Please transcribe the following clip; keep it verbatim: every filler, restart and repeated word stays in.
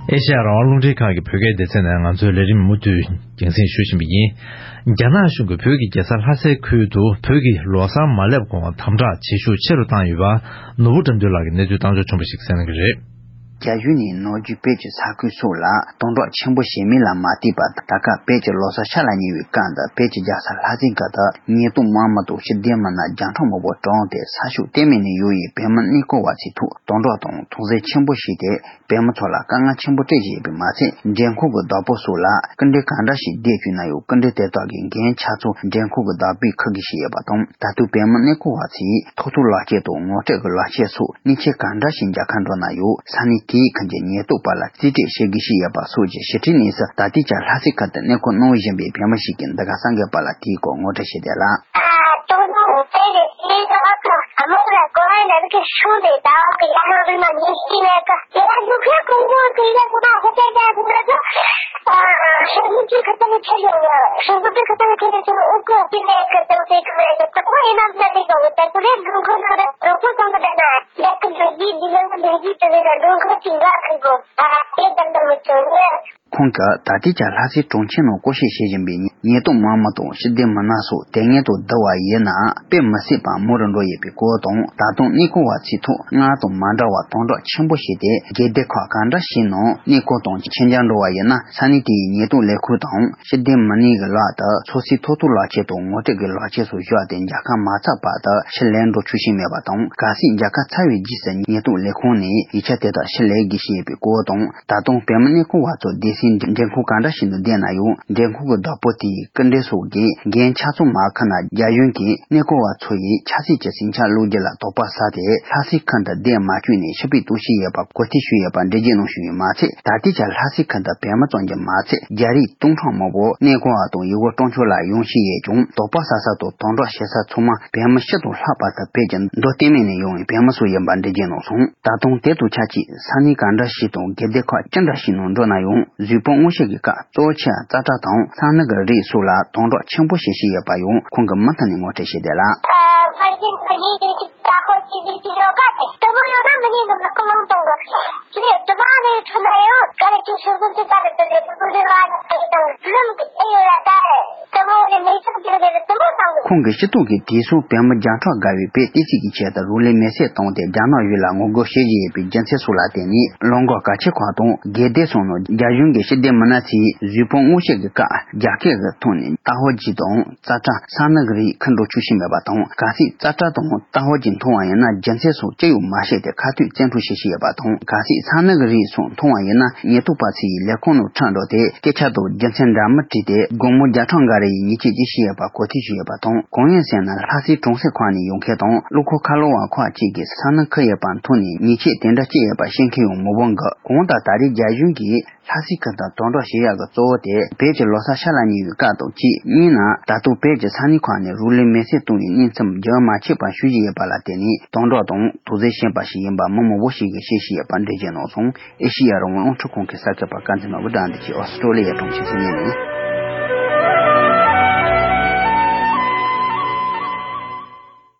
ཨེ་ཤ་ཡ་རང་དབང་རླུང་འཕྲིན་ཁང་གི་བོད་སྐད་སྡེ་ཚན་ནས་ང་ཚོའི་ལས་རིམ་མུ་མཐུད་རྒྱང་སྲིང་ཞུ་བཞིན་པ་ཡིན། རྒྱ་ནག་གཞུང་གིས་བོད་ཀྱི་རྒྱལ་ས་ལྷ་སའི་ཁུལ་དུ་བོད་ཀྱི་ལོ་གསར་མ་སླེབས་གོང་དམ་དྲག་བྱེད་ཤུགས་ཆེ་རུ་བཏང་ཡོད་པ། ནོར་བུ་དགྲ་འདུལ་ལགས་ཀྱིས་གནས་ཚུལ་བཏང་འབྱོར་བྱུང་བ་ཞིག་གསན་གནང་གི་རེད། རྒྱ་གཞུང་ནས་ནམ་རྒྱུན་བོད་ཀྱི་ས་ཁུལ་སོགས་ལ་དམ་དྲག་ཆེན་པོ་བྱེད་མིན་ལ་མ་བལྟས་པར། ད་སྐབས་བོད་ཀྱི་ལོ་གསར་ཤར་ལ་ཉེ་བའི་སྐབས་འདིར་བོད་ཀྱི་རྒྱལ་ས་ལྷ་སའི་ཁུལ་དུ་ཉེན་རྟོག་དམག་མི་དང་ཤེས་ལྡན་མི་སྣ་བརྒྱ་ཕྲག་མང་པོ་བཀྲམ་སྟེ་ས་ཕྱོགས་གཏན་མེད་ནས་ཡོང་བའི་བོད་མི་གནས་སྐོར་བ་ཚོའི་ཐོག་དམ་དྲག་དང་དོགས་ཟོན་ཆེན་པོ་བྱས་ཏེ། བོད་མི་ཚོ་ལ་དཀའ་ངལ་ཆེན་པོ་སྤྲད་བཞིན་ཡོད་པས་མ་ཚད། འགྲེམས་ཁང་གི་བདག་པོ་སོགས་ལ་སྐུལ་འདེད་གང་འདྲ་ཞིག་བསྡད་བཅུག་ན་ཡང་། སྐུལ་འདེད་དེ་དག་གི་འགན་ཆ་ཚང་འགྲེམས་ཁང་གི་བདག་པོས་འཁུར་དགོས་བཞིན་ཡོད་པ་དང་། ད་དུང་བོད་མི་གནས་སྐོར་བ་ཚོས་ཐོབ་ཐང་ལག་ཁྱེར་དང་ངོ་སྤྲོད་ཀྱི་ལག་ཁྱེར་སོགས་གནས་ཆེན་གང་འདྲ་ཞིག་མཇལ་ཁ་འགྲོ་ན་ཡང་། ས་གནས་དེའི་ཁུལ་གྱི་ཉེན་རྟོག་པ་ལ་རྩིས་སྤྲོད་བྱེད་དགོས་བཞིན་ཡོད་པ་སོགས་ཀྱི་ཞིབ་ཕྲའི་གནས་ཚུལ་ད་ལྟའི་ཆར་ལྷ་སའི་ཁུལ་དུ་གནས་སྐོར་གནང་བཞིན་པའི་བོད་མི་ཞིག་གིས་འདི་ག་གསར་འགོད་པ་ལ་དེའི་སྐོར་ངོ་སྤྲོད་བྱས་ཏེ་ལ། ཁོང་གིས་ད་ལྟའི་ཆར་ལྷ་སའི་གྲོང་ཁྱེར་ནང་སྐོར་སྐྱོད་བྱེད་བཞིན་པའི་ཉེན་རྟོག་དམག་མི་དང་ཤེས་ལྡན་མི་སྣ་སོགས་དེ་སྔོན་དང་བསྡུར་བ་ཡིན་ན་དཔེ་མི་སྲིད་པར་མང་རུ་འགྲོ་ཡོད་པའི་སྐོར་དང་། ད་དུང་གནས་སྐོར་བ་ཚོའི་ཐོག་སྔར་དང་མ་འདྲ་བར་དམ་དྲག་ཆེན་པོ་བྱས་ཏེ། སྒེར་སྡེ་ཁག་གང་འདྲ་ཞིག་ནང་གནས་སྐོར་དང་ཆེད་མཇལ་འགྲོ་བ་ཡིན་ན། ས་གནས་དེའི་ཉེན་རྟོག་ལས་ཁུངས་དང་ཤེས་ལྡན་མི་སྣའི་ལག་ཏུ་སོ་སོའི་ཐོབ་ཐང་ལག་ཁྱེར་དང་ངོ་སྤྲོད་ཀྱི་ལག་ཁྱེར་སོགས་བཞག་སྟེ་མཇལ་ཁ་མ་ཚར་བར་དུ་ཕྱིར་ལོག་འགྲོ་ཆོག་བཞིན་མེད་པ་དང་། གལ་སྲིད་མཇལ་ཁ་ཚར་བའི་རྗེས་སུ་ཉེན་རྟོག་ལས་ཁུངས་ནས་ཡིག་ཆ་དེ་དག་ཕྱིར་ལེན་དགོས་བཞིན་ཡོད་པའི་སྐོར་དང་། ད་དུང་བོད་མི་གནས་སྐོར་བ་ཚོ་སྡེ་སྲིད་འགྲེམས་ཁང་གང་འདྲ་ཞིག་ཏུ་བསྡད་ན་ཡང་། འགྲེམས་ཁང་གི་བདག་པོ་དེས་སྐུལ་འདེད་སོགས་ཀྱི་འགན་ཆ་ཚང་མ་འཁུར་ན། རྒྱ་གཞུང་གིས་གནས་སྐོར་བ་ཚོ་ཡི་ཆབ་སྲིད་ཀྱི་ཟིང་ཆ་བསློག་རྒྱུ་ལ་དོགས་པ་ཟ་སྟེ། ལྷ་སའི་ཁུལ་དུ་བསྡད་མ་བཅུག་ནས་ཕྱིར་འབུད་གཏོང་བཞིན་ཡོད་པ་གོ་ཐོས་བྱུང་ཡོད་པ་འགྲེལ་བརྗོད་གནང་བཞིན་ཡོད་མ་ཚད། ད་ལྟའི་ཆར་ལྷ་སའི་ཁུལ་དུ་བོད་མི་ཙམ་གྱིས་མ་ཚད། རྒྱ་རིགས་སྟོང་ཕྲག་མང་པོ་གནས་སྐོར་བ་དང་ཡུལ་སྐོར་སྤྲོ་འཆམ་ལ་ཡོང་བཞིན་ཡོད་ཀྱང་། དོགས་པ་ཟ་ས་དང་དམ་དྲག་བྱེད་ས་ཚང་མ་བོད་མི་སྤྱི་དང་ལྷག་པར་དུ་བོད་ཀྱི་མདོ་སྟོད་སྨད་ནས་ཡོང་བའི་བོད་མི་ཚོ་ཡིན་པ་འགྲེལ་བརྗོད་གནང་སོང་། ད་དུང་དེ་དང་ཆབས་ཅིག་ས་གནས་གང་འདྲ་ཞིག་དང་སྒེར་སྡེ་ཁག་ཅི་འདྲ་ཞིག་ནང་འགྲོ་ན་ཡང་། གཟུགས་པོ་མངོན་ཤེས་ཀྱི་སྐབས་གཙོ་ཆེ་བ་ཙ་ཏྲ་དང་ས་སྣ་གི་རིགས་སོགས་ལ་དམ་དྲག་ཆེན་པོ་བྱེད་བཞིན་ཡོད་པ་ཡང་ཁོང་གིས་མུ་མཐུད་ནས་ངོ་སྤྲོད་བྱས་ཏེ་ལ། ཁོང་གིས་སྤྱི་ཚོགས་ཀྱི་དེ་སོང་བོད་མི་བརྒྱ་ཕྲག་བརྒལ་བས་བོད་བསྟན་སྲིད་ཀྱི་ཆེད་དུ་རང་ལུས་མེར་སྲེག་བཏང་སྟེ་རྒྱ་ནག་གཞུང་ལ་ངོ་རྒོལ་བྱེད་བཞིན་ཡོད་པའི་རྒྱུ་མཚན་སོགས་ལ་བརྟེན་ནས། ལམ་ཁ་གལ་ཆེ་ཁག་དང་སྒེར་སྡེ་སོགས་ནང་རྒྱ་གཞུང་གི་ཤེས་ལྡན་མི་སྣ་ཚོས་གཟུགས་པོ་མངོན་ཤེས་ཀྱི་སྐབས་རྒྱ་སྐད་ཀྱི་ཐོག་ནས་ཏ་ཧོ་ཇི་དང་ཙ་ཀྲ་ས་ནི་གི་རིགས་འཁུར་འགྲོ་ཆོག་བཞིན་མེད་པ་དང་། གལ་སྲིད་ཙ་ཀྲ་དང་ཏ་ཧོ་ཇི་མཐོང་བ་ཡིན་ན། རྒྱུ་མཚན་སོགས་ཅི་ཡང་མ་བཤད་དེ་ཁ་གཏད་བཙན་འཕྲོག་བྱེད་བཞིན་ཡོད་པ་དང་། གལ་སྲིད་ས་ནི་གི་རིགས་སོགས་མཐོང་བ་ཡིན་ན། ཉེན་རྟོག་པ་ཚོ་ཡིས་ལས་ཁུངས་ནང་ཁྲིད་འགྲོ་སྟེ། སྐད་ཆ་དང་རྒྱུ་མཚན་འདྲ་མིན་དྲིས་ཏེ། སྒོར་མོ་བརྒྱ་ཕྲག་འགའ་རེ་ཡི་ཉེས་ཆད་ཅིག་བྱེད་ཡོད་པ་གོ་ཐོས་བྱུང་ཡོད་པ་དང་། གང་ཡིན་ཟེར་ན། ལྷ་སའི་གྲོང་གསེབ་ཁག་ནས་ཡོང་མཁན་དང་། གློག་ཁང་ཁ་ལོ་བ་ཁག་ཅིག་གིས་ས་ནི་འཁུར་ཡོད་པ་མཐོང་ནས། ཉེས་ཆད་དེ་འདྲ་བཅད་ཡོད་པ་ཤེས་མཁན་ཡང་མང་པོ་འདུག་གང་ལྟར་ད་རེས་རྒྱ་གཞུང་གིས་ལྷ་སའི་ཁུལ་དུ་དམ་དྲག་བྱེད་ཡག་གི་གཙོ་བོ་དེ། བོད་ཀྱི་ལོ་གསར་ཤར་ལ་ཉེ་བའི་སྐབས་དང་གཅིག་གཉིས་ན། ད་དུང་བོད་ཀྱི་ས་གནས་ཁག་ནས་རང་ལུས་མེར་སྲེག་བཏང་བའི་གནས་མཚམས་རྒྱུན་མ་ཆད་པར་ཞུ་བཞིན་ཡོད་པ་ལ་བརྟེན་ནས། དམ་དྲག་དང་དོགས་ཟོན་བྱས་པ་ཞིག་ཡིན་པ་མི་མང་པོ་ཞིག་གིས་བཤད་བཞིན་ཡོད་པ་འགྲེལ་བརྗོད་གནང་སོང་། ཨེ་ཤེ་ཡ་རང་དབང་རླུང་འཕྲིན་ཁང་གི་གསར་འགོད་པ་དཀར་མཛེས་ནོར་བུ་དགྲ་འདུལ་གྱིས་ཨོ་སི་ཀྲོ་ལི་ཡའི་གྲོང་ཁྱེར་སིད་ནི་ནས།